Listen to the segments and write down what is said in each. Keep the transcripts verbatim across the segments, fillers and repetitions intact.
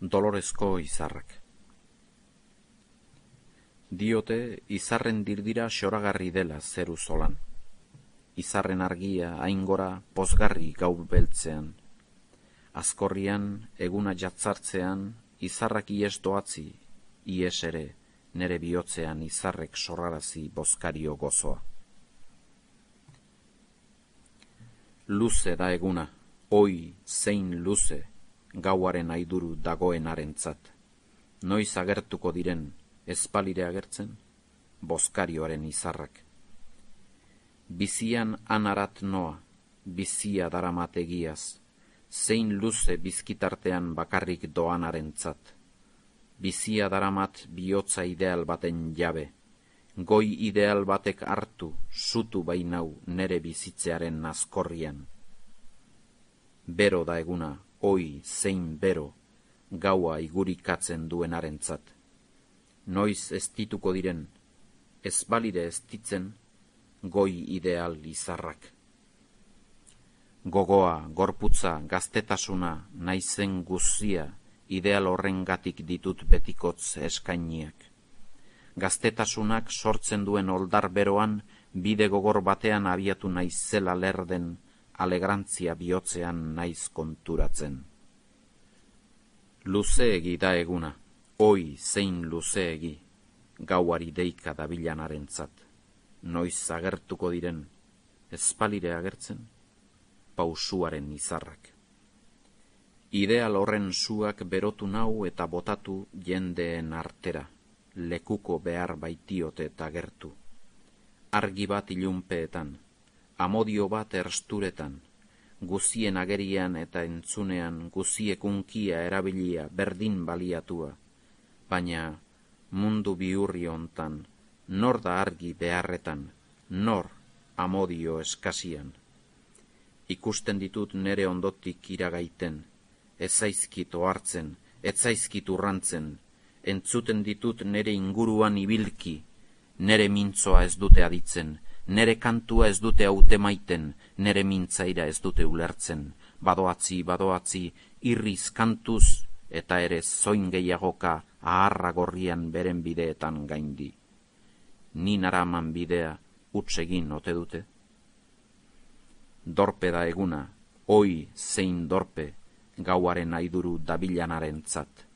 Dolorezko izarrak. Diote izarren dirdira xoragarri dela zeru zolan. Izarren argia aingora pozgarri gau beltzean. Azkorrian, eguna jatzartzean, izarrak ies doatzi, ies ere, nere bihotzean izarrek sorrarazi bozkario gozoa. Luze da eguna, oi zein luze, gauaren aiduru dagoenarentzat. Noiz agertuko diren, espalire agertzen, bozkarioaren izarrak. Bizian anarat noa, bizia daramat egiaz, zein luze bizkitartean bakarrik doanarentzat. Bizia daramat bihotza ideal baten jabe, goi ideal batek hartu, sutu bainau nere bizitzearen azkorrian. Bero da eguna, oi zein bero, gaua igurikatzen duenarentzat. Noiz ez dituko diren, ez balire ez ditzen, goi ideal izarrak. Gogoa, gorputza, gaztetasuna, naizen guzia, ideal horrengatik ditut betikotz eskainiak. Gaztetasunak sortzen duen oldar beroan, bide gogor batean abiatu naizela lerden, alegrantzia bihotzean naiz konturatzen. Luzeegi da eguna, oi zein luzeegi, gauari deika dabilanarentzat. Noiz agertuko diren, espalire agertzen, pausuaren izarrak. Ideal horren suak berotu nau eta botatu jendeen artera, lekuko behar baitiote eta gertu. Argi bat ilunpeetan, amodio bat ersturetan, guzien agerian eta entzunean guziek unkia erabilia berdin baliatua, baina mundu bihurri hontan, nor da argi beharretan, nor amodio eskasian. Ikusten ditut nere ondotik iragaiten, ez zaizkit ohartzen, ez zaizkit urrantzen, entzuten ditut nere inguruan ibilki, nere mintzoa ez dute aditzen, nere kantua ez dute haute maiten, nere mintzaira ez dute ulertzen, badoatzi, badoatzi, irriz kantuz, eta ere zoin gehiagoka aharra gorrian beren bideetan gaindi. Ni naraman bidea huts egin ote dute? Dorpe da eguna, oi zein dorpe, gauaren aiduru dabilanarentzat.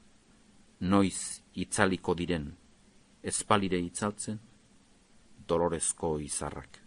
Noiz itzaliko diren, espalire itzaltzen, dolorezko izarrak.